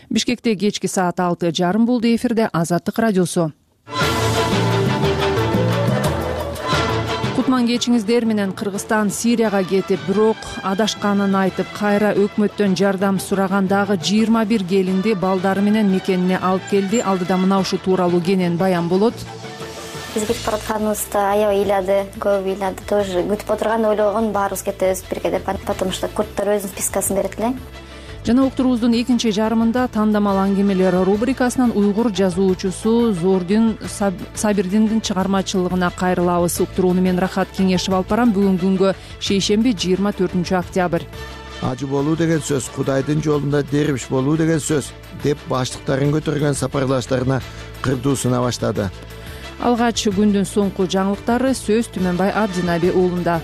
Бишкекте кечки саат 6:30 болду. Эфирде Азаттык радиосу. Кутман кечиңиздер менен. Кыргызстан Сирияга кетип, бирок адашканын айтып, кайра өкмөттөн жардам сурагандагы 21 келинди балдары менен мекенине алып келди. Алдыда мына ушу тууралуу кенен баян болот. Биз кетип баратканыбызда аябай ыйлады, көп ыйлады. Тоже күтүп отурган ойлогон баарыбыз кетебиз бирге деп, потому что курттар өзүнүн спискасын берет эле. Жана уктуруубуздун экинчи жарымында тандамал аңгемелер рубрикасынан уйгур жазуучусу Зордин Сабирдиндин чыгармачылыгына кайрылабыз. Уктурууну мен Рахат Кеңешев алып барам. Бүгүнкү күнгө шейшемби 24 октябрь. Ажы болуу деген сөз, Кудайдын жолунда дербиш болуу деген сөз деп баштыктарын көтөргөн сапарлаштарына кырдуусуна баштады. Алгач күндүн соңку жаңылыктары сөз Түмөнбай Абдинаби уулунда.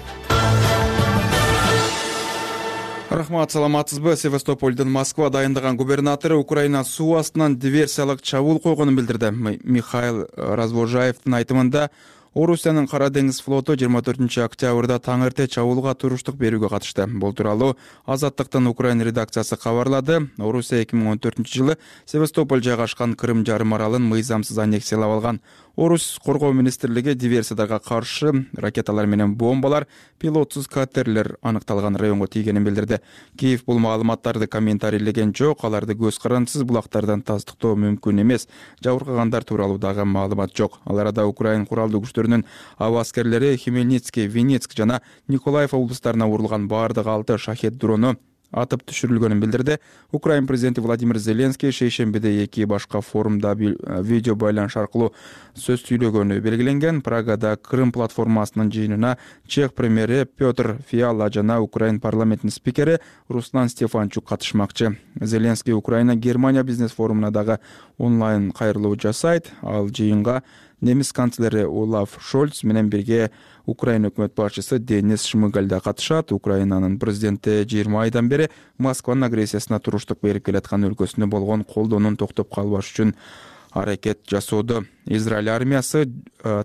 Рахмат, саламатсызбы? Севастополдун Москва дайындаган губернатору Украина суу астынан диверсиялык чабуул койгонун билдирди. Михаил Развожаевдин айтымында, Орусиянын Кара деңиз флоту 24 октябрда таң эрте чабуулга туруштук берүүгө катышты. Бул тууралуу Азаттыктын Украина редакциясы кабарлады. Орусия 2014 жылы Севастополь жайгашкан Крым жарым аралын мыйзамсыз аннексиялап алган. Орус коргоо министрлиги диверсиядарга каршы ракеталар менен бомбалар, пилотсуз катерлер аныкталган районго тийгенин билдирди. Киев бул маалыматтарды комментарийлеген жок, аларды көз карандысыз булактардан тастыктоо мүмкүн эмес. Жабыркагандар тууралуу дагы маалымат жок. Ал арада Украина куралдуу күчтөрүнүн аба аскерлери Хмельницкий, Винницк жана Николаев облустарына урулган бардык 6 шахет дрону атып түшүрүлгөнүн билдирди. Украина президенти Владимир Зеленский шейшембиде эки башка форумда видео байланыш аркылуу сөз сүйлөгөнү белгиленген. Прагада Крым платформасынын жыйынына Чех премьери Петр Фиала жана Украина парламентинин спикери Руслан Стефанчук катышмакчы. Зеленский Украина Германия бизнес форумуна дагы онлайн кайрылуу жасайт. Ал жыйынга немис канцлери Олаф Шольц менен бирге Украина өкмөт башчысы Денис Шмыгаль да катышат. Украинанын президенти 20 айдан бери Москванын агрессиясына туруштук берип келаткан өлкөсүнө болгон колдоонун токтоп калбаш үчүн аракет жасоодо. Израиль армиясы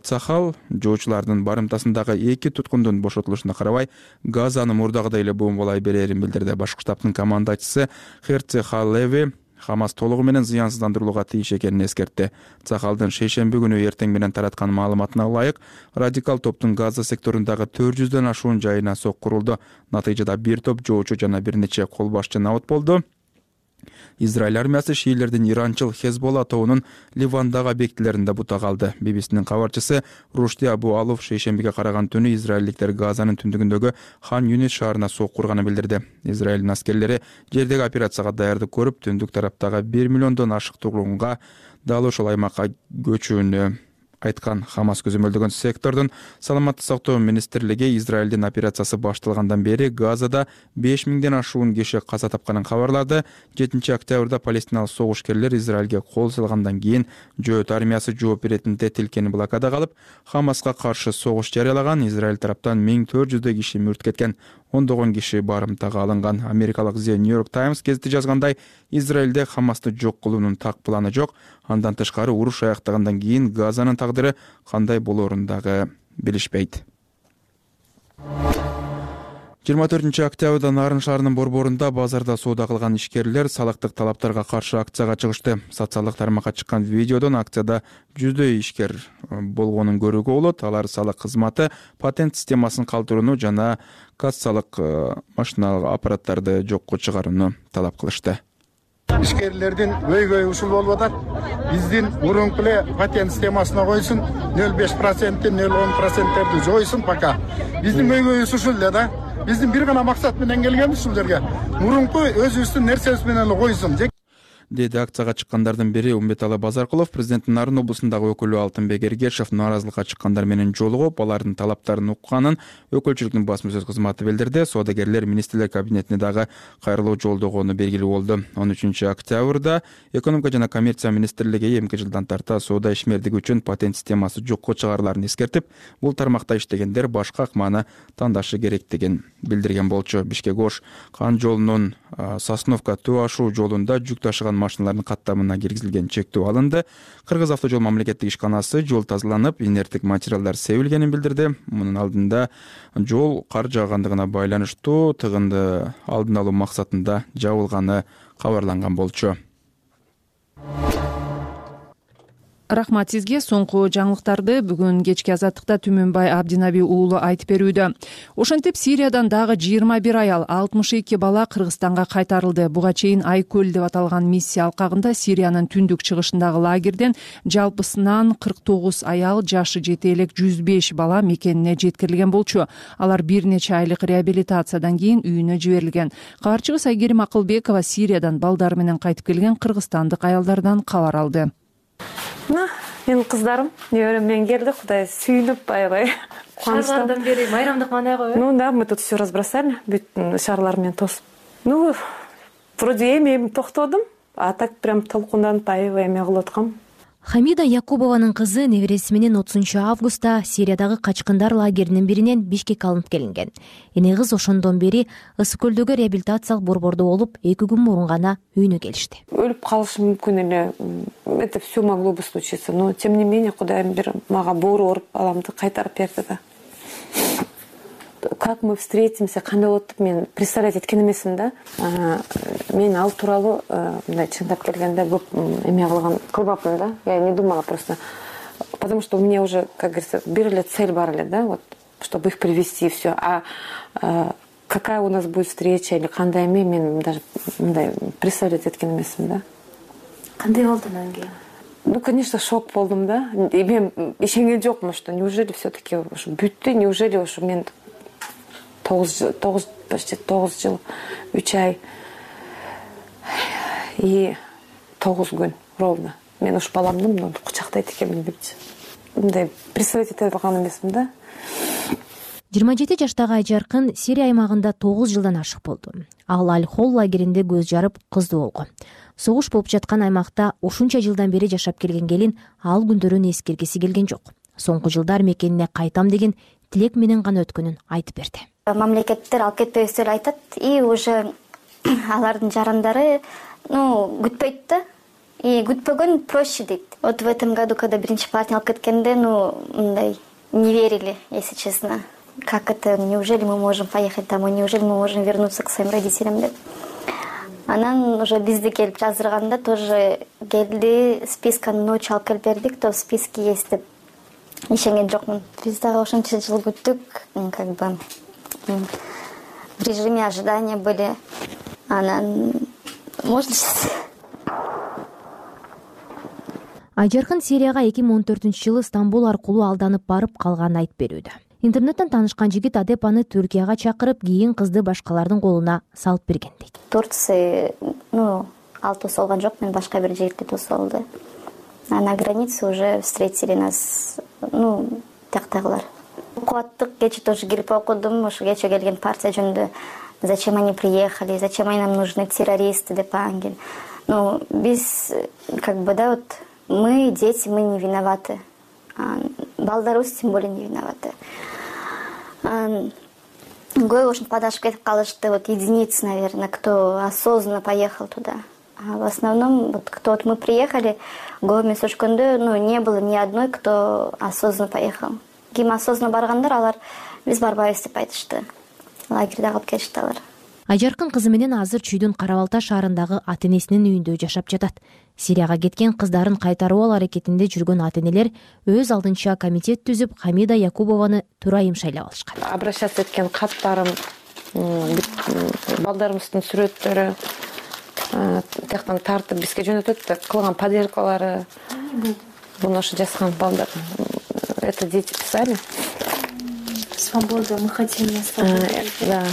Цахал жоочулардын барымтасындагы 2 туткундун бошотулушуна карабай Газаны мурдагыдай эле бомбалай берерин билдирди. Башкы штабтын командачысы Херци Халеви Хамас толугу менен зыянсыздандырылууга тийиш экенин эскертти. Цахалдын шейшемби күнү эртең менен тараткан маалыматына ылайык, радикал топтун Газа секторундагы 400дөн ашуун жайына сок курулду. Натыйжада бир топ жоочу жана бир нече кол башчы набыт болду. Израиль армиясы шиилердин иранчыл Хезболла тобунун Ливандагы объектилеринде бутак алды. BBC-нин кабарчысы Рушди Абу Алов шейшембиге караган түнү израилдиктер Газанын түндүгүндөгү Хан Юнис шаарына сок курганын билдирди. Израилдин аскерлери жердеги операцияга даярдык көрүп, түндүк тараптагы 1 миллиондон ашык тургунга дал ошол аймакка көчүүнү айткан. Хамас көзөмөлдөгөн сектордун саламаттык сактоо министрлиги Израилдин операциясы башталгандан бери Газада 5000ден ашуун киши каза тапканын кабарлады. 7 октябрда палестиналык согушкерлер Израилге кол салгандан кийин жөөт армиясы жооп беретинде тилкени блокада калып, Хамаска каршы согуш жарыялаган. Израиль тараптан 1400 киши мүрт кеткен, ондогон киши барымтага алынган. Америкалык The New York Times гезити жазгандай, Израилде Хамасты жок кылуунун так планы жок. Андан тышкары уруш аяктагандан кийин Газанын тагдыры кандай болоорун дагы билишпейт. 24 октябрда Нарын шаарынын борборунда базарда соода кылган ишкерлер салыктык талаптарга каршы акцияга чыгышты. Социалдык тармакка чыккан видеодон акцияда жүздөй ишкер болгонун көрүүгө болот. Алар салык кызматы, патент системасын калтырууну жана кассалык машиналык аппараттарды жокко чыгарууну талап кылышты. Ишкерлердин өйгөй ушул болуп атат. Биздин мурунку эле патент системасына койсун, 0,5%, 0,10%терди жойсун пока. Биздин өйгөйүбүз ушул эле да. Биздин бир гана максат менен келгенбиз ушул жерге. Мурунку өзүбүздүн нерсебиз менен эле койсун. Деди акцияга чыккандардын бири Умбеталы Базаркулов. Президенттин Нарын облусундагы өкүлү Алтынбек Эргешев нааразылыкка чыккандар менен жолугуп, алардын талаптарын укканын өкүлчүлүктүн басма сөз кызматы билдирди. Соодагерлер министрлер кабинетине дагы кайрылуу жолдогону белгилүү болду. 13 октябрда экономика жана коммерция министрлиги 2 жылдан тарта соода ишмердиги үчүн патент системасы жокко чыгарыларын эскертип, бул тармакта иштегендер башка акманы тандашы керектигин билдирген болчу. Бишкек-Ош Кан жолунун Сосновка Төө ашуу жолунда жүк ташыган машиналардын каттамына киргизилген чектөө алынды. Кыргыз автожол мамлекеттик ишканасы жол тазаланып, инерттик материалдар себилгенин билдирди. Мунун алдында жол кар жаагандыгына байланыштуу тыгынды алдын алуу максатында жабылганы кабарланган болчу. Рахмат сизге. Соңку жаңылыктарды бүгүн кечки Азаттыкта Түмөнбай Абдинаби уулу айтып берүүдө. Ошентип Сириядан дагы 21 аял, 62 бала Кыргызстанга кайтарылды. Буга чейин Айкөл деп аталган миссия алкагында Сириянын түндүк чыгышындагы лагерден жалпысынан 49 аял, жашы жете элек 105 бала мекенине жеткирилген болчу. Алар бир нече айлык реабилитациядан кийин үйүнө жиберилген. Кабарчыбыз Айгерим Акылбекова Сириядан балдары менен кайтып келген кыргызстандык аялдардан кабар алды. Менин кыздарым, неберем менен келди. Кудай сүйүнүп, аябай кубанычтуу. Шаарлардан бери майрамдык мандайгы? Да, мы тут все разбросали, бүт шаарлар менен тосуп. Вроде эми токтодум, а так прям толкунданып аябай эме кылып аткам. Хамида Якубованын кызы небереси менен 30-августта Сириядагы качкындар лагеринин биринен Бишкекке алынып келинген. Эне кыз ошондон бери Ысык көлдөгү реабилитациялык борбордо болуп, 2 күн мурун гана үйүнө келишти. Өлүп калышы мүмкүн эле. Это все могло бы случиться, но тем не менее Кудайым бир мага боору оруп баламды кайтарып берди да. Как мы встретимся, кандай болот деп мен представлять эткен эмесмин да. Мен ал тууралуу мындай чындап келгенде көп эме кылбапмын да. Я не думала просто, потому что у меня уже, как говорится, бир эле цель бар эле да, вот, чтобы их привести и все. А какая у нас будет встреча или кандай эме, мен даже мындай представлять эткен эмесмин да. Кандай болду анан кийин? Конечно, шок болдум да. И мен ишенген жокмун, что неужели все-таки ушу бүттү, неужели ушу мен почти 9 жыл, 3 ай и 9 күн ровно. Мен ушу баламды кучактайт экенмин депчи. Мындай представить эте алган эмесмин да. 27 жаштагы Айжаркын Сирия аймагында 9 жылдан ашык болду. Ал Аль-Хол лагеринде көз жарып кыздуу болгон. Согуш болуп жаткан аймакта ушунча жылдан бери жашап келген келин ал күндөрүн эскергиси келген жок. Соңку жылдар мекенине кайтам деген тилек менен гана өткөнүн айтып берди. Мамлекеттер алып кетпейбиз деп айтат, и уже алардын жарандары күтпөйт да. И күтпөгөн проще дейт. Вот в этом году, когда биринчи партия алып кеткенде, мындай не верили, если честно. Как это, неужели мы можем поехать домой, неужели мы можем вернуться к своим родителям деп. Анан уже бизди келип жаздырганда тоже келди, списканы ночью алып келип берди, кто в списке есть деп. Ишенген жокмун. Биз дагы ошончо жыл күттүк, как бы в режиме ожидания были. Анан можно сейчас. Айжаркын Сирияга 2014-жылы Стамбул аркылуу алданып барып калганын айтып берүүдө. Интернеттен таанышкан жигит Адепаны Түркияга чакырып, кийин кызды башкалардын колуна салып берген дейт. Турция, ал тосолгон жок, мен башка бир жигитти тосолду. А на границе уже встретили нас, тияктагылар. Окуаттык, кече тоже кирип окудум, ошо кече келген партия жөнүндө. Зачем они приехали, зачем они нам нужны, террористы деп ангел. Биз, как бы, да, вот, мы, дети, мы не виноваты. Балдарыбыз тем более не виноваты. Көбү ушинтип адашып кетип калышты, вот единицы, наверное, кто осознанно поехал туда. А в основном, вот кто мы приехали, көбү өчкөндө, не было ни одной, кто осознанно поехал. Ким осознанно баргандар, алар биз барбайбыз деп айтышты. Лагерде калып кетишти алар. Айжаркын кызы менен азыр Чүйдүн Кара-Балта шаарындагы ата-энесинин үйүндө жашап жатат. Сирияга кеткен кыздарын кайтаруу аракетинде жүргөн ата-энелер өз алдынча комитет түзүп, Хамида Якубованы турайым шайлап алышкан. Обращаться эткен каттарым, балдарыбыздын сүрөттөрү тияктан тартып бизге жөнөтөт да, кылган поделкалары. Буну ошо жазган балдар. Это дети писали. Свобода, мы хотим на свободу. Да.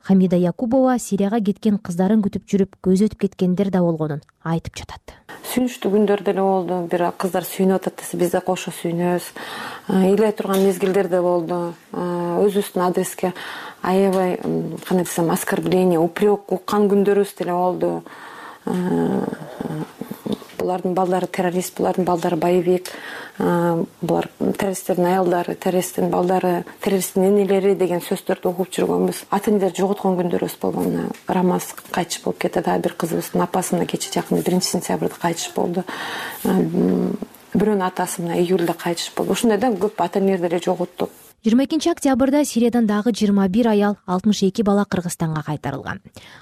Хамида Якубова Сирияга кеткен кыздарын күтүп жүрүп, көз өтүп кеткендер да болгонун айтып жатат. Сүйүнүчтүү күндөр деле болду. Бир кыздар сүйүнүп атат десе, биз да кошо сүйүнөбүз. Ыйлай турган мезгилдер да болду. Өзүбүздүн адреске аябай, кандай десем, оскорбление, упрек уккан күндөрүбүз деле болду. Булардын балдары террорист, булардын балдары боевик, булар террористтердин аялдары, террористтин балдары, террористтин энелери деген сөздөрдү угуп жүргөнбүз. Ата-энелер жоготкон күндөрүбүз болгон. Рамаз кайтыш болуп кетти, да, бир кызыбыздын апасы мына кече жакында 1-сентябрда кайтыш болду. Бирөөнүн атасы мына июлда кайтыш болду. Ушундай да көп ата-энелер деле жоготтук. 22 октябрда Сириядан дагы 21 аял, 62 бала Кыргызстанга кайтарылган.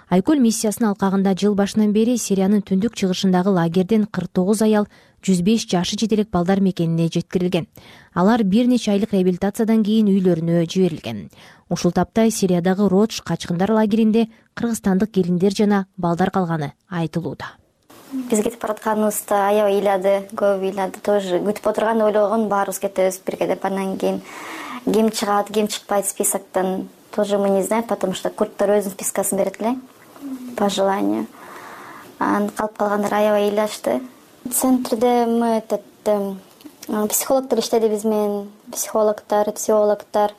Айкөл миссиясынын алкагында жыл башынан бери Сириянын түндүк чыгышындагы лагерден 49 аял, 105 жашы жетелек балдар мекенине жеткирилген. Алар бир нече айлык реабилитациядан кийин үйлөрүнө жиберилген. Ушул тапта Сириядагы Родж качкындар лагеринде кыргызстандык келиндер жана балдар калганы айтылууда. Биз кетип баратканыбызда аябай ыйлады, көп ыйлады. Тоже күтүп отурган ойлогон баарыбыз кетебиз бирге деп. Андан кийин ким чыгат, ким чыкпайт списоктон тоже мы не знаем, потому что курттар өзүнүн спискасын берет эле по желанию. Калып калгандар аябай ыйлашты. Центрде мы психологдор иштеди биз менен, психологдор, теологдор,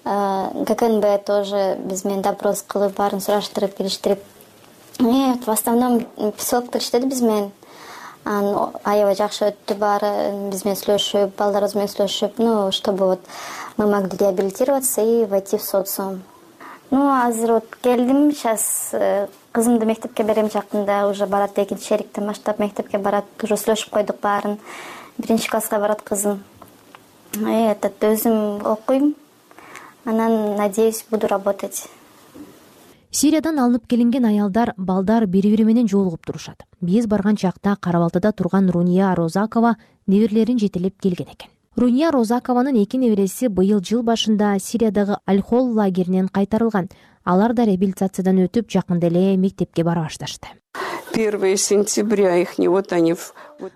ГКНБ тоже биз менен допрос кылып, баарын сураштырып, келиштирип. В основном психологдор иштеди биз менен. Аябай жакшы өттү баары, биз менен сүйлөшүп, балдарыбыз менен сүйлөшүп, чтобы вот мы могли реабилитироваться и войти в социум. Азыр вот келдим, сейчас кызымды мектепке берем жакында, уже барат, экинчи шериктен баштап мектепке барат, уже сүйлөшүп койдук баарын. 1-класска барат кызым. Өзүм окуйм, анан надеюсь, буду работать. Сириядан алынып келинген аялдар, балдар бири-бири менен жолугуп турушат. Биз барган чакта Кара-Балтада турган Руния Розакова неберелерин жетелеп келген экен. Руния Розакованын 2 небереси быйыл жыл башында Сириядагы Аль-Хол лагеринен кайтарылган. Алар да реабилитациядан өтүп, жакында эле мектепке бара башташты. 1 сентября ихни вот они.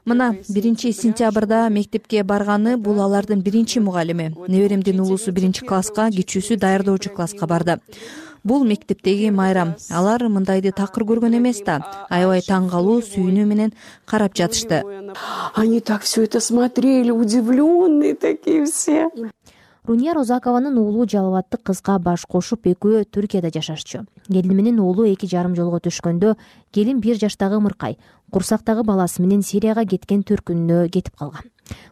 Мына 1 сентябрда мектепке барганы бул алардын биринчи мугалими. Неберемдин улусу 1-класска, кичүүсү даярдоочу класска барды. Бул мектептеги майрам. Алар мындайды такыр көргөн эмес да. Аябай таң калуу, сүйүнүү менен карап жатышты. Они так все это смотрели, удивленные такие все. Руния Розакованын уулу жалбаттык кызга баш кошуп экөө Түркияда жашашчу. Келини менен уулу 2,5 жолго түшкөндө, келин 1 жаштагы ымыркай, курсактагы баласы менен Сирияга кеткен төркүнүнө кетип калган.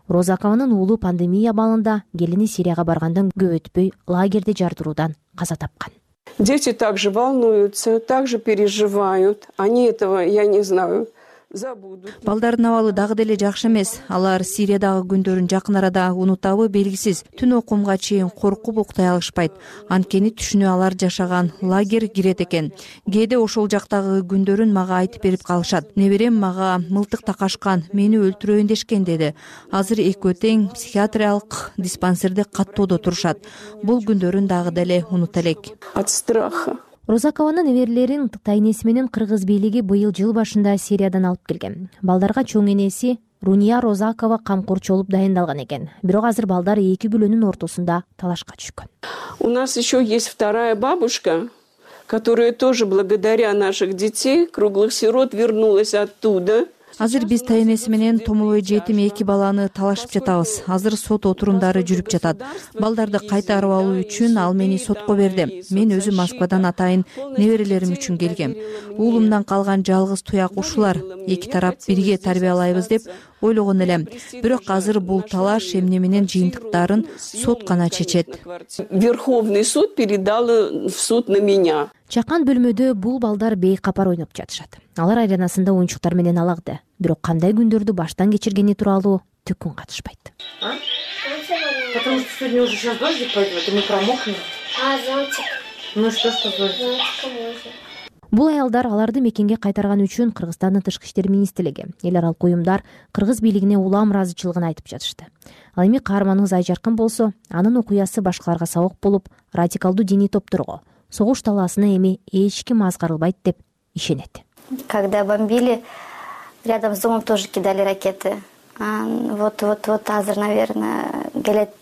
Розакованын уулу пандемия абалында келини Сирияга баргандан көп өтпөй лагерде жардыруудан каза тапкан. Дети также волнуются, также переживают. Они этого, я не знаю, забудут. Балдардын абалы дагы деле жакшы эмес. Алар Сириядагы күндөрүн жакын арада унутабы белгисиз. Түн окумга чейин коркуп уктай алышпайт. Анткени түшүнө алар жашаган лагерь кирет экен. Кээде ошол жактагы күндөрүн мага айтып берип калышат. Неберем мага мылтык такашкан, мени өлтүрөйүн дешкен деди. Азыр экөө тең психиатриялык диспансерде каттоодо турушат. Бул күндөрүн дагы деле унута элек. От страха. Розакованын неберелерин тайнеси менен кыргыз бийлиги быйыл жыл башында Сириядан алып келген. Балдарга чоң энеси Руния Розакова камкорчу болуп дайындалган экен. Бирок азыр балдар 2 бүлөнүн ортосунда талашка түшкөн. У нас еще есть вторая бабушка, которая тоже благодаря наших детей, круглых сирот, вернулась оттуда. Азыр биз тайнеси менен томолой жетим 2 баланы талашып жатабыз. Азыр сот отурумдары жүрүп жатат. Балдарды кайтарып алуу үчүн ал мени сотко берди. Мен өзүм Москвадан атайын неберелерим үчүн келгем. Уулумдан калган жалгыз туяк ушулар. Эки тарап бирге тарбиялайбыз деп ойлогон элем. Бирок азыр бул талаш эмне менен жыйынтыктарын сот гана чечет. Верховный суд передал в суд на меня. Чакан бөлмөдө бул балдар бейкапар ойноп жатышат. Алар айланасында оюнчуктар менен алакты. Бирок кандай күндөрдү баштан кечиргени тууралуу түкүн катышпайт. Потому что сегодня уже сейчас дождик пойдет, и мы промокнем. Зонтик. Ну что зонтик? Бул аялдар аларды мекенге кайтарган үчүн Кыргызстандын тышкы иштер министрлиги, эл аралык уюмдар кыргыз бийлигине улам ыраазычылыгын айтып жатышты. Ал эми каарманыбыз Айжаркын болсо, анын окуясы башкаларга сабак болуп, радикалдуу диний топторго, согуш талаасына эми эч ким азгарылбайт деп ишенет. Когда бомбили, рядом с домом тоже кидали ракеты. Вот азыр, наверное, келет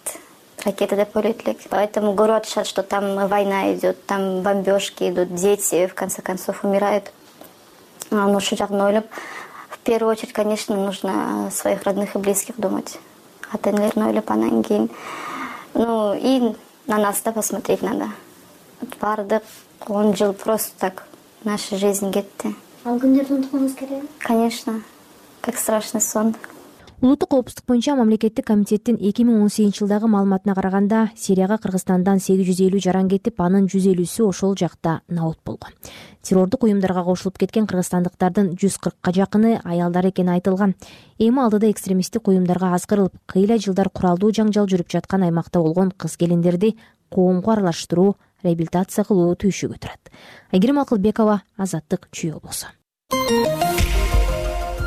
ракеты деп ойлойт элек. Поэтому көрүп атышат, что там война идет, там бомбежки идут, дети в конце концов умирают. Ошол жагын ойлоп, в первую очередь, конечно, нужно о своих родных и близких думать. Ата-энелерин ойлоп, анан кийин, и на нас да посмотреть надо. Бардык 10 жыл просто так наша жизнь кетти. Ал күндөрдү унуткуңуз келеби? Конечно, как страшный сон. Улуттук коопсуздук боюнча мамлекеттик комитеттин 2018 жылдагы маалыматына караганда Сирияга Кыргызстандан 850 жаран кетип, анын 150сү ошол жакта набут болгон. Террордук уюмдарга кошулуп кеткен кыргызстандыктардын 140ка жакыны аялдар экени айтылган. Эми алдыда экстремисттик уюмдарга аскырылып, кыйла жылдар куралдуу жаңжал жүрүп жаткан аймакта болгон кыз-келиндерди коомго аралаштыруу, реабилитация кылуу түйшүгү турат. Айгерим Акылбекова, Азаттык, Чүй облусу.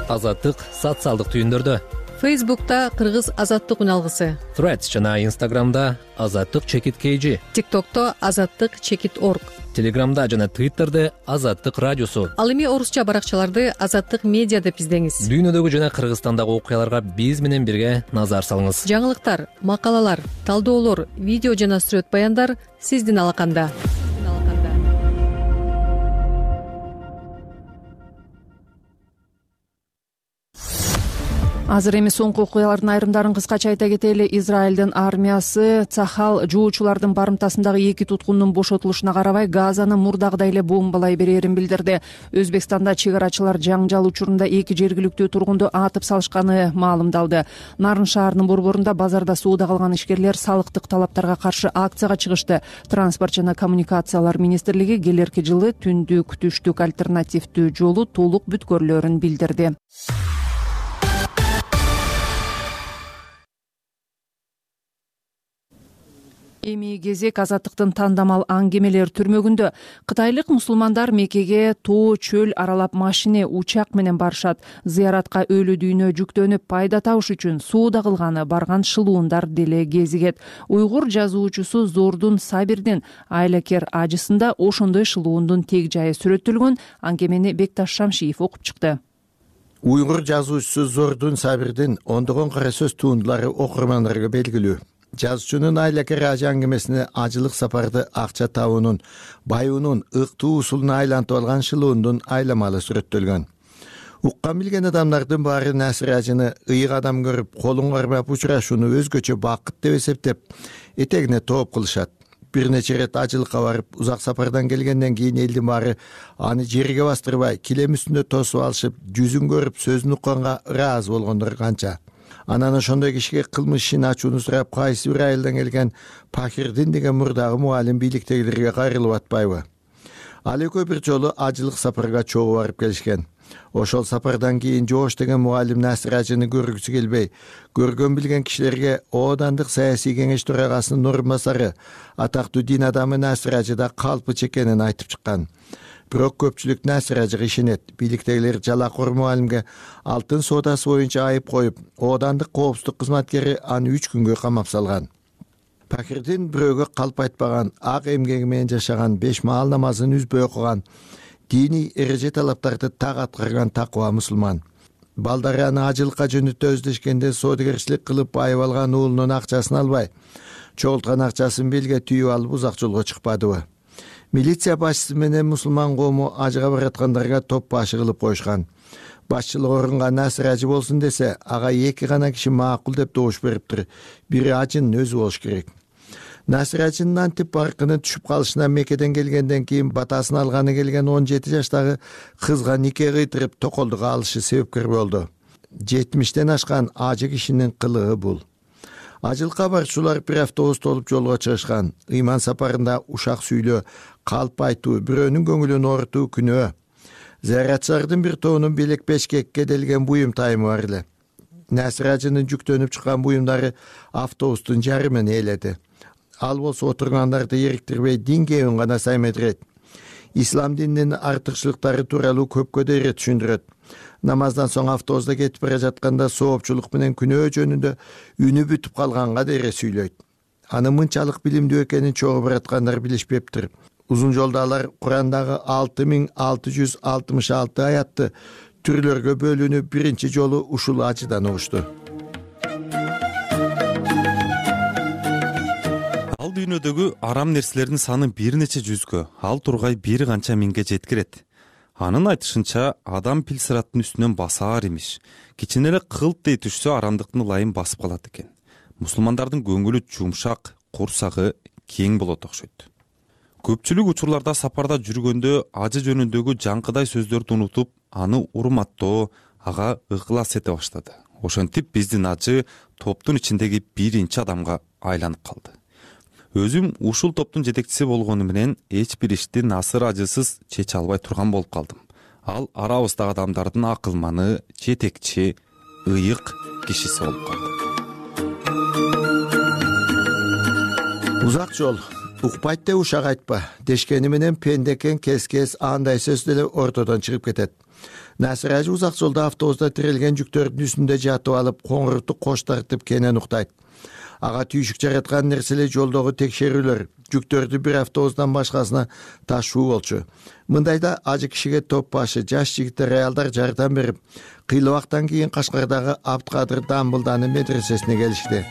Азаттык социалдык түйүндөрдө. Фейсбукта Кыргыз Азаттык үналгысы, Threads жана Instagramда Азаттык _KG, ТикТокто Азаттык _org, Телеграмда жана Twitterде Азаттык радиосу. Ал эми орусча баракчаларды Азаттык медиа деп издеңиз. Дүйнөдөгү жана Кыргызстандагы окуяларга биз менен бирге назар салыңыз. Жаңылыктар, макалалар, талдоолор, видео жана сүрөт баяндар сиздин алаканда. Азыр эми соңку окуялардын айрымдарын кыскача айта кетели. Израилдин армиясы Цахал жуучулардын барымтасындагы 2 туткундун бошотулушуна карабай Газаны мурдагыдай эле бомбалай берерин билдирди. Өзбекстанда чек арачылар жаңжал учурунда 2 жергиликтүү тургунду атып салышканы маалымдалды. Нарын шаарынын борборунда базарда сууда калган ишкерлер салыктык талаптарга каршы акцияга чыгышты. Транспорт жана коммуникациялар министрлиги келерки жылы түндүк түштүк альтернативдүү жолу толук бүткөрүлөрүн билдирди. Эми кезек Азаттыктын тандамал аңгемелер түрмөгүндө. Кытайлык мусулмандар Меккеге тоо чөл аралап машине, учак менен барышат. Зыяратка өлү дүйнө жүктөнүп пайда табыш үчүн сууда кылганы барган шылуундар деле кезигет. Уйгур жазуучусу Зордун Сабирдин айлакер ажысында ошондой шылуундун тег жайы сүрөттөлгөн. Аңгемени Бекташ Шамшиев окуп чыкты. Уйгур жазуучусу Зордун Сабирдин ондогон кара сөз туундулары окурмандарга белгилүү. Жазуучунун айлакер ажы аңгемесине ажылык сапарды акча табуунун, баюунун, ыктуу усулуна айлантып алган шылуундун айламалы сүрөттөлгөн. Уккан билген адамдардын баары Насир ажыны ыйык адам көрүп, колун кармап учурашууну өзгөчө бакыт деп эсептеп, этегине тооп кылышат. Бир нече ирет ажылыкка барып, узак сапардан келгенден кийин элдин баары аны жерге бастырбай, килем үстүндө тосуп алышып, жүзүн көрүп, сөзүн укканга ыраазы болгондор канча. Анан ошондой кишиге кылмыш ишин ачууну сурап, кайсы бир айылдан келген Пахирдин деген мурдагы муалим бийликтегилерге кайрылып атпайбы? Ал экөө бир жолу ажылык сапарга чогуу барып келишкен. Ошол сапардан кийин Жоош деген муалим Насир ажыны көргүсү келбей, көргөн билген кишилерге Оодандык саясий кеңеш төрагасынын орун басары, атактуу дин адамы Насир ажыда калпыч экенин айтып чыккан. Бирок көпчүлүк Насир ажыга ишенет. Бийликтегилер жалакор муалимге алтын соодасы боюнча айып коюп, Оодандык коопсуздук кызматкери аны 3 күнгө камап салган. Пахирдин бирөөгө калп айтпаган, ак эмгеги менен жашаган, 5 маал намазын үзбөй окуган, диний эреже талаптарды так аткарган такыба мусулман. Балдары аны ажылыкка жөнөтө өздөшкенде соодагерчилик кылып байып алган уулунун акчасын албай, чогулткан акчасын белге түйүп алып узак жолго чыкпадыбы? Милиция башчысы менен мусулман коому ажыга бараткандарга топ башы кылып коюшкан. Башчылык орунга Насир ажы болсун десе, ага 2 гана киши макул деп добуш бериптир. Бири ажынын өзү болуш керек. Насир ажынын антип баркыны түшүп калышына Меккеден келгенден кийин батасын алганы келген 17 жаштагы кызга нике кыйтырып токолдук алышы себепкер болду. 70тен ашкан ажы кишинин кылыгы бул. Ажылыкка барчулар бир автобус толуп жолго чыгышкан. Ыйман сапарында ушак сүйлөө, калп айтуу, бирөөнүн көңүлүн оорутуу күнөө. Зыяратчылардын бир тобунун белек бешкекке делген буюм тайымы бар эле. Насир ажынын жүктөнүп чыккан буюмдары автобустун жарымын ээледи. Ал болсо отургандарды эриктирбей дин кебин гана саймедирет. Ислам дининин артыкчылыктары тууралуу көпкө дейре түшүндүрөт. Намаздан соң автобуста кетип бара жатканда соопчулук менен күнөө жөнүндө үнү бүтүп калганга дейре сүйлөйт. Аны мынчалык билимдүү экенин чогуу бараткандар билишпептир. Узун жолдо алар Курандагы 6666 аятты түрлөргө бөлүнүп биринчи жолу ушул ажыдан угушту. Ал дүйнөдөгү арам нерселердин саны бир нече жүзгө, ал тургай бир канча миңге жеткирет. Анын айтышынча, адам пил сыраттын үстүнөн басаар имиш. Кичине эле кылт дей түшсө арамдыктын ылайын басып калат экен. Мусулмандардын көңүлү жумшак, курсагы кең болот окшойт. Көпчүлүк учурларда сапарда жүргөндө ажы жөнүндөгү жаңкыдай сөздөрдү унутуп, аны урматтоо, ага ыклас эте баштады. ошентип биздин ажы топтун ичиндеги биринчи адамга айланып калды. Өзүм ушул топтун жетекчиси болгону менен эч бир ишти насыр ажысыз чече албай турган болуп калдым. Ал арабыздагы адамдардын акылманы, жетекчи, ыйык кишиси болуп калды. Узак жол укпайт деп ушак айтпа дешкени менен пендекен кес андай сөз деле ортодон чыгып кетет. Насыр ажы узак жолдо автобуста тирелген жүктөрдүн үстүндө жатып алып коңурту кош тартып кенен уктайт. Ага түйшүк жараткан нерселер жолдогу текшерүүлөр, жүктөрдү бир автобустан башкасына ташуу болчу. Мындайда ажы кишиге топ башы жаш жигиттер, аялдар жардам берип, кыйла убактан кийин Кашкардагы Абдкадыр Дамбылданын медресесине келишти.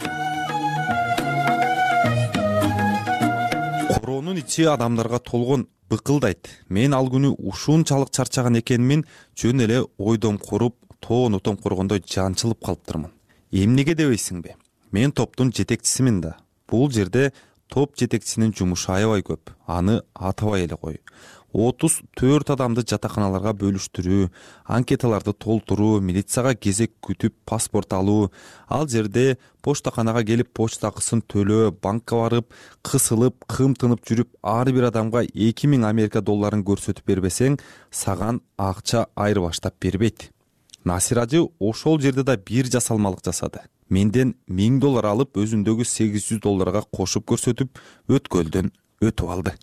Короонун ичи адамдарга толгон быкылдайт. Мен ал күнү ушунчалык чарчаган экенмин, жөн эле ойдом куруп, тоонутом коргондой жанчылып калыптырмын. Эмнеге дебейсиңби? Мен топтун жетекчисимин да. Бул жерде топ жетекчисинин жумушу аябай көп. Аны атабай эле кой. 34 адамды жатаканаларга бөлүштүрүү, анкеталарды толтуруу, милицияга кезек күтүп паспорт алуу, ал жерде поштаканага келип почта акысын төлөө, банкка барып, кысылып, кымтынып жүрүп, ар бир адамга 2000 Америка долларын көрсөтүп бербесең, саган акча айырбаштап бербейт. Насир ажы ошол жерде да бир жасалмалык жасады. Менден $1000 алып, өзүндөгү $800 кошуп көрсөтүп, өткөлдөн өтүп алды.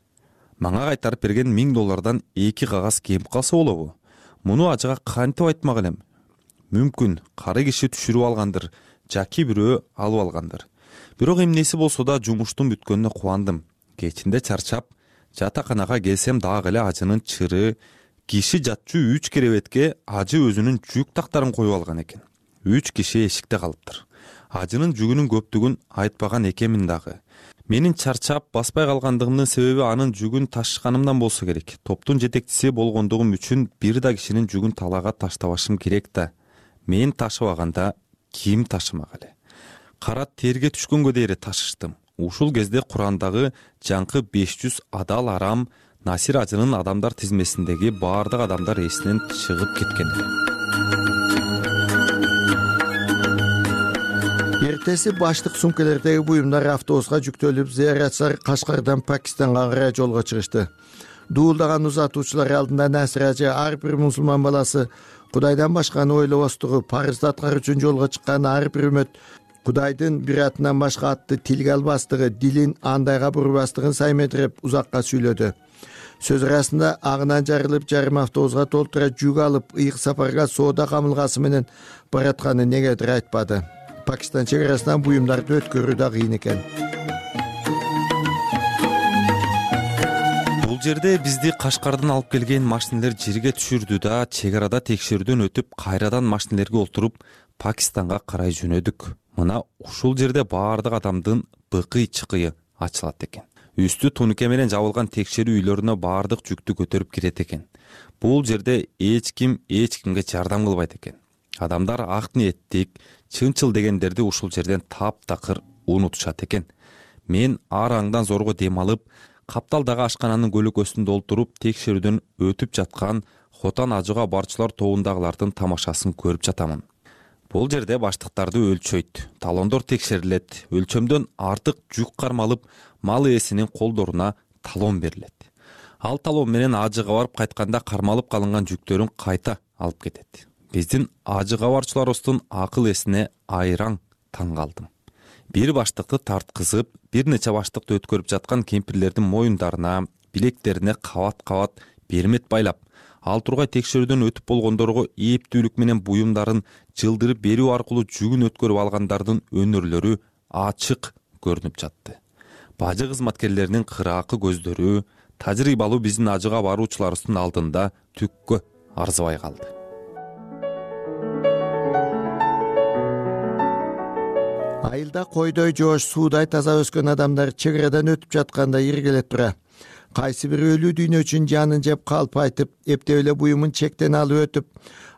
Мага кайтарып берген $1000 2 кагаз кемип калса болобу? Муну ажыга кантип айтмак элем? Мүмкүн кары киши түшүрүп алгандыр, жаки бирөө алып алгандыр. Бирок эмнеси болсо да жумуштун бүткөнүнө кубандым. Кечинде чарчап, жатаканага келсем дагы эле ажынын чыры, киши жатчу 3 керебетке ажы өзүнүн жүк тактарын коюп алган экен. 3 киши эшикте калыптыр. Ажынын жүгүнүн көптүгүн айтпаган экенмин дагы. Менин чарчап баспай калгандыгымдын себеби анын жүгүн ташышканымдан болсо керек. Топтун жетекчиси болгондугум үчүн бир да кишинин жүгүн талаага таштабашым керек да. Мен ташыбаганда ким ташымак эле? Кара терге түшкөнгө дейре ташыштым. Ушул кезде Курандагы жаңкы 500 адал арам Насир ажынын адамдар тизмесиндеги баардык адамдар эсинен чыгып кеткен эле. Эртеси баштык сумкелердеги буюмдар автобуска жүктөлүп, зыяратчылар Кашкардан Пакистанга карай жолго чыгышты. Дуулдаган узатуучулар алдында Насир ажы ар бир мусулман баласы Кудайдан башканы ойлобостугу, парызды аткаруу үчүн жолго чыккан ар бир үмөт Кудайдын бир атынан башка атты тилге албастыгы, дилин андайга бурбастыгын сайметиреп узакка сүйлөдү. Сөз арасында агынан жарылып, жарым автобуска толтура жүк алып, ыйык сапарга соода камылгасы менен баратканы негедир айтпады. Пакистан чегарасынан буюмдарды өткөрүү да кыйын экен. Бул жерде бизди Кашкардан алып келген машинелер жерге түшүрдү да, чегарада текшерүүдөн өтүп, кайрадан машинелерге олтуруп, Пакистанга карай жөнөдүк. Мына ушул жерде баардык адамдын быкый-чыкыйы ачылат экен. Үстү тунуке менен жабылган текшерүү үйлөрүнө баардык жүктү көтөрүп кирет экен. Бул жерде эч кимге жардам кылбайт экен. Адамдар ак ниеттик, чынчыл дегендерди ушул жерден таптакыр унутушат экен. Мен ар аңдан зорго дем алып, капталдагы ашкананын көлөкөсүн толтуруп, текшерүүдөн өтүп жаткан Хотан ажыга барчылар тобундагылардын тамашасын көрүп жатамын. Бул жерде баштыктарды өлчөйт, талондор текшерилет, өлчөмдөн артык жүк кармалып, мал ээсинин колдоруна талон берилет. Ал талон менен ажыга барып кайтканда кармалып калынган жүктөрүн кайта алып кетет. Биздин ажыга барчыларыбыздын акыл эсине айраң таң калдым. Бир баштыкты тарткызып, бир нече баштыкты өткөрүп жаткан кемпирлердин моюндарына, билектерине кабат-кабат бермет байлап, ал тургай текшерүүдөн өтүп болгондорго эптүүлүк менен буюмдарын жылдырып берүү аркылуу жүгүн өткөрүп алгандардын өнөрлөрү ачык көрүнүп жатты. Бажы кызматкерлеринин кыраакы көздөрү тажрыйбалуу биздин ажыга баруучуларыбыздын алдында түккө арзыбай калды. Айылда койдой жоош, суудай таза өскөн адамдар чегарадан өтүп жатканда иргелеп тура. Кайсы бир өлүү дүйнө үчүн жанын жеп калп айтып, эптеп эле буюмун чектен алып өтүп,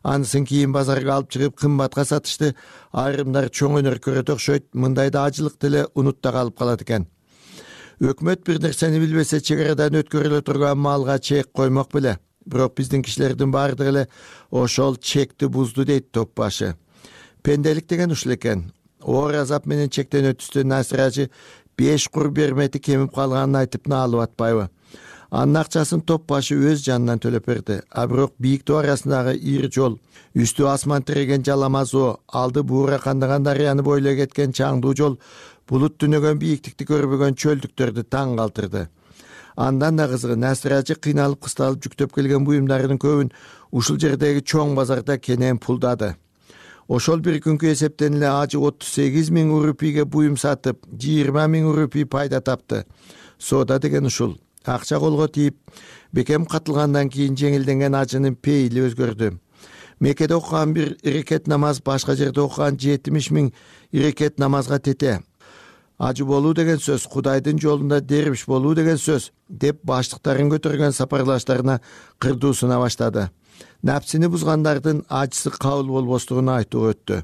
анысын кийин базарга алып чыгып кымбатка сатышты. Айрымдар чоң өнөр көрөт окшойт, мындайда ажылык деле унутта калып калат экен. Өкмөт бир нерсени билбесе, чегарадан өткөрүлө турган малга чек коймок беле. Бирок биздин кишилердин баардыгы эле ошол чекти бузду дейт топ башы. Пенделик деген ушул экен. Оор азап менен чектен өтүстө Насир 5 кур бермети кемип калганын айтып наалып атпайбы? Анын акчасын топ башы өз жанынан төлөп берди. А бирок бийик тоо арасындагы ири жол, үстү асман тиреген жаламаз о, алды буура кандаган дарыяны бойлой кеткен чаңдуу жол булут түнөгөн бийиктикти көрбөгөн чөлдүктөрдү таң калтырды. Андан да кызыгы Насир кыйналып кысталып жүктөп келген буюмдарынын көбүн ушул жердеги чоң базарда кенен пулдады. Ошол бир күnkү эсептен эле ажы 38 000 рупийге буюм сатып, 20 000 рупий пайда тапты. Соода деген ушул. Акча колго тийип, бекем катылгандан кийин жеңилденген ажынын пейили өзгөрдү. Меккеде окуган бир ирекет намаз башка жерде окуган 70 000 ирекет намазга тете. Ажы болуу деген сөз, Кудайдын жолунда дербиш болуу деген сөз деп баштыктарын көтөргөн сапарлаштарына кырдуусуна баштады. Напсини бузгандардын ажысы кабыл болбостугун айтуу өттү.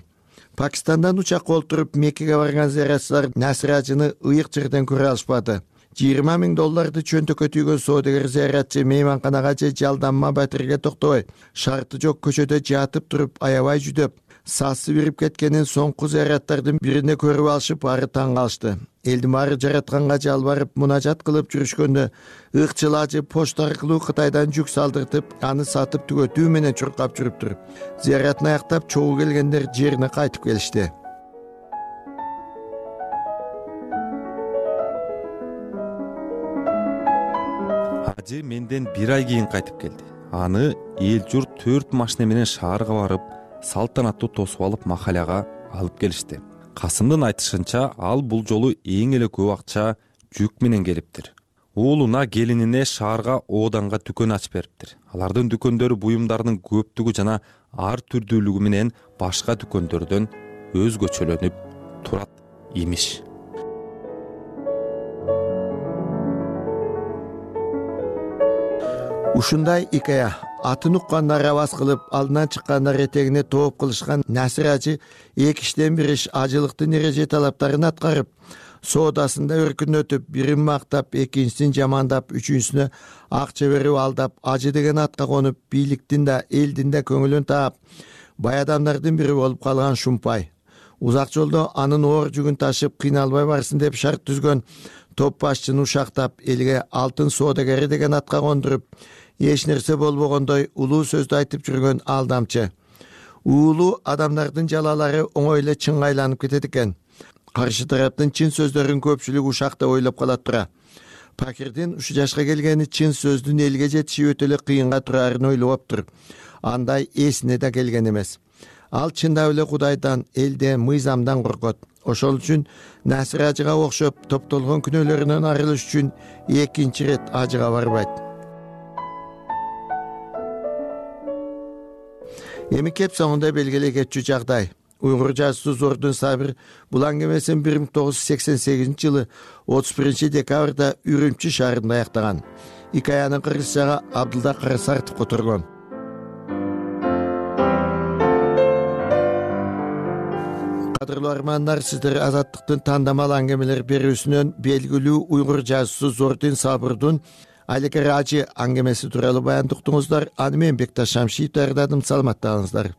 Пакистандан учакка олтуруп Меккеге барган зыяратчылар Насир ыйык жерден көрө алышпады. $20 000 чөнтөккө түйгөн соодагер зыяратчы мейманканага же жалданма батирге токтобой, шарты жок көчөдө жатып туруп аябай жүдөп, сасы бирип кеткенин соңку зыяраттардын биринде көрүп алышып, ары таң калышты. Элдин баары жаратканга жалбарып мунажат кылып жүрүшкөндө ыкчыл ажы почта аркылуу Кытайдан жүк салдыртып, аны сатып түгөтүү менен чуркап жүрүптүр. Зыяратын аяктап чогуу келгендер жерине кайтып келишти. Ажы менден 1 ай кийин кайтып келди. Аны эл журт 4 машина менен шаарга барып, салтанаттуу тосуп алып махаляга алып келишти. Касымдын айтышынча, ал бул жолу эң эле көп акча жүк менен келиптир. Уулуна, келинине шаарга ооданга дүкөн ачып бериптир. Алардын дүкөндөрү буюмдарынын көптүгү жана ар түрдүүлүгү менен башка дүкөндөрдөн өзгөчөлөнүп турат имиш. Ушундай икая атын уккандар аваз кылып, алдынан чыккандар этегине тооп кылышкан Насир эки иштен бир иш ажылыктын эреже талаптарын аткарып, соодасында өркүнөтүп, бирин мактап, экинчисин жамандап, үчүнчүсүнө акча берип алдап, ажы деген атка конуп, бийликтин да, элдин да көңүлүн таап, бай адамдардын бири болуп калган Шумпай. Узак жолдо анын оор жүгүн ташып, кыйналбай барсын деп шарт түзгөн топ башчыны ушактап, элге алтын соодагери деген атка кондуруп, эч нерсе болбогондой улуу сөздү айтып жүргөн алдамчы. Уулуу адамдардын жалалары оңой эле чыңгайланып кетет экен. Каршы тараптын чын сөздөрүн көпчүлүк ушакта ойлоп калат тура. Пакирдин ушу жашка келгени чын сөздүн элге жетиши өтө эле кыйынга турарын ойлоптур. Андай эсине да келген эмес. Ал чындап эле Кудайдан, элден, мыйзамдан коркот. Ошол үчүн Насир ажыга окшоп топтолгон күнөөлөрүнөн арылыш үчүн экинчи рет ажыга барбайт. Эми кеп соңунда белгилей кетчү жагдай. Уйгур жазуучусу Зордун Сабир бул аңгемесин 1988 жылы 31 декабрда Үрүмчү шаарында аяктаган. Икаянын кыргызчага Абдылда Карасартов которгон. Кадырлуу армандар, сиздер Азаттыктын тандамал аңгемелер берүүсүнөн белгилүү уйгур жазуучусу Зордун Сабирдин Айлекер ажы аңгемеси тууралуу баян уктуңуздар. Аны мен Бекташ Шамшиев даярдадым. Саламаттаңыздар.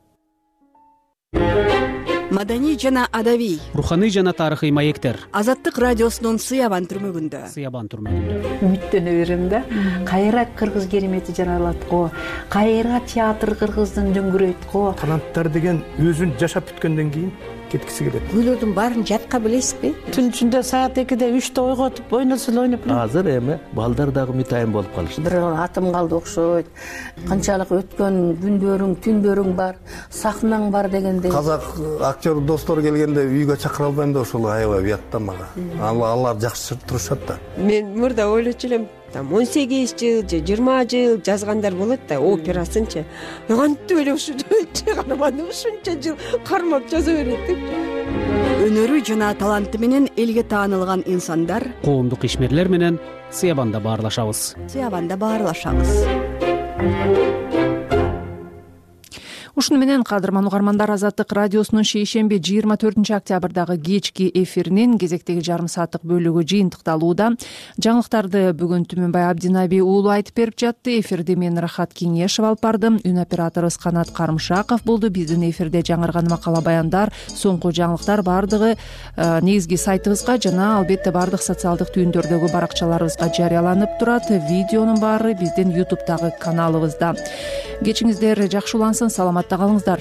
Маданий жана адабий, руханий жана тарыхый маектер. Азаттык радиосунун Сыябан түрмөгүндө. Үмүттөнө берем да. Кайра кыргыз керемети жаралат го, кайра театр кыргыздын дөңгүрөйт го. Таланттар деген өзүн жашап бүткөндөн кийин кеткиси келет. Күйлөрдүн баарын жатка билесизби? Түн ичинде саат 2-де 3-те ойготуп, ойносо ойноп. Азыр эми балдар дагы мытайын болуп калышты. Бир атым калды окшойт. Канчалык өткөн күндөрүң, түндөрүң бар, сахнаң бар дегендей. Казак актер достор келгенде үйгө чакыра албайм да, ошол аябай уят да мага. Алар жакшы турушат да. Мен мурда ойлочу элем, 18 жыл же 20 жыл жазгандар болот да, операсынчы. Кантип эле ушунча карманды, ушунча жыл кармап жаза берет деп. Өнөрү жана таланты менен элге таанылган инсандар коомдук ишмерлер менен Сыябанда баарлашабыз. ушуну менен кадырман угармандар, Азаттык радиосунун шейшемби 24-октябрдагы кечки эфиринин кезектеги жарым сааттык бөлүгү жыйынтыкталууда. Жаңылыктарды бүгүн Түмөнбай Абдинаби уулу айтып берип жатты. Эфирде мен Рахат Кеңешов алып бардым. Үн операторубуз Канат Карымшаков болду. Биздин эфирде жаңырган макала баяндар, соңку жаңылыктар баардыгы негизги сайтыбызга жана албетте баардык социалдык түйүндөрдөгү баракчаларыбызга жарыяланып турат. Видеонун баары биздин YouTube'дагы каналыбызда. Кечиңиздер жакшы улансын, саламатта калыңыздар.